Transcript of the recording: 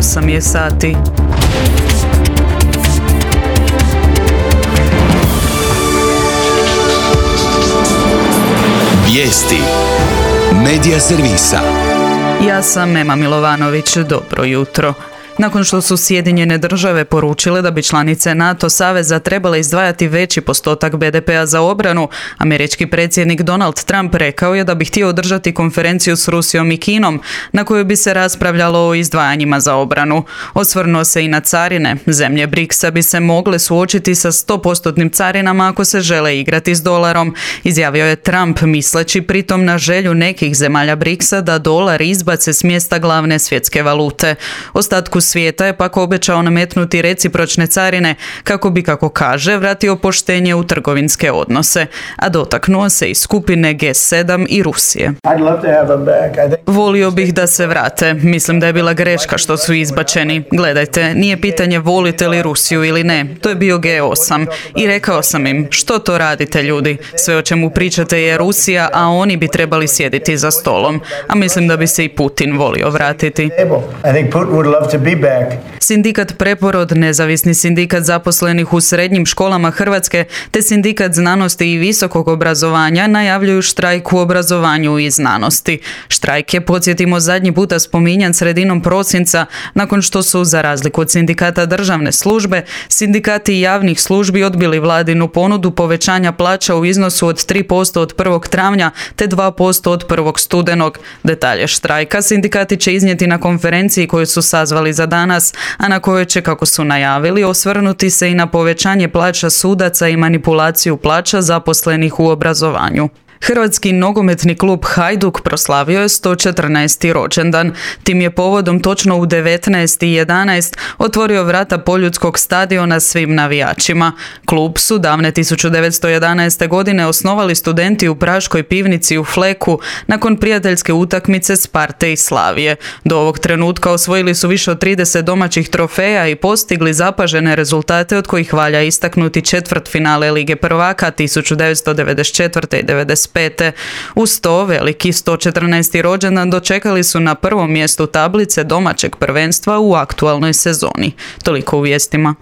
8 je sati. Vijesti Medija servisa. Ja sam Ema Milovanović, dobro jutro. Nakon što su Sjedinjene države poručile da bi članice NATO saveza trebale izdvajati veći postotak BDP-a za obranu, američki predsjednik Donald Trump rekao je da bi htio održati konferenciju s Rusijom i Kinom, na kojoj bi se raspravljalo o izdvajanjima za obranu. Osvrnuo se i na carine. Zemlje BRICS-a bi se mogle suočiti sa 100% carinama ako se žele igrati s dolarom, izjavio je Trump, misleći pritom na želju nekih zemalja BRICS-a da dolar izbace s mjesta glavne svjetske valute. Ostatku svijeta je pak obećao nametnuti recipročne carine kako bi, kako kaže, vratio poštenje u trgovinske odnose, a dotaknuo se i skupine G7 i Rusije. Volio bih da se vrate. Mislim da je bila greška što su izbačeni. Gledajte, nije pitanje volite li Rusiju ili ne. To je bio G8. I rekao sam im, što to radite ljudi? Sve o čemu pričate je Rusija, a oni bi trebali sjediti za stolom. A mislim da bi se i Putin volio vratiti. Sindikat Preporod, nezavisni sindikat zaposlenih u srednjim školama Hrvatske te sindikat znanosti i visokog obrazovanja najavljuju štrajk u obrazovanju i znanosti. Štrajk je, podsjetimo, zadnji puta spominjan sredinom prosinca nakon što su, za razliku od sindikata državne službe, sindikati javnih službi odbili vladinu ponudu povećanja plaća u iznosu od 3% od 1. travnja te 2% od 1. studenog. Detalje štrajka sindikati će iznijeti na konferenciji koju su sazvali za danas, a na kojoj će, kako su najavili, osvrnuti se i na povećanje plaća sudaca i manipulaciju plaća zaposlenih u obrazovanju. Hrvatski nogometni klub Hajduk proslavio je 114. rođendan. Tim je povodom točno u 19:11 otvorio vrata Poljudskog stadiona svim navijačima. Klub su davne 1911. godine osnovali studenti u Praškoj pivnici u Fleku nakon prijateljske utakmice Sparte i Slavije. Do ovog trenutka osvojili su više od 30 domaćih trofeja i postigli zapažene rezultate, od kojih valja istaknuti četvrtfinale Lige prvaka 1994. i 1995. Uz to, veliki 114. rođendan dočekali su na prvom mjestu tablice domaćeg prvenstva u aktualnoj sezoni. Toliko u vijestima.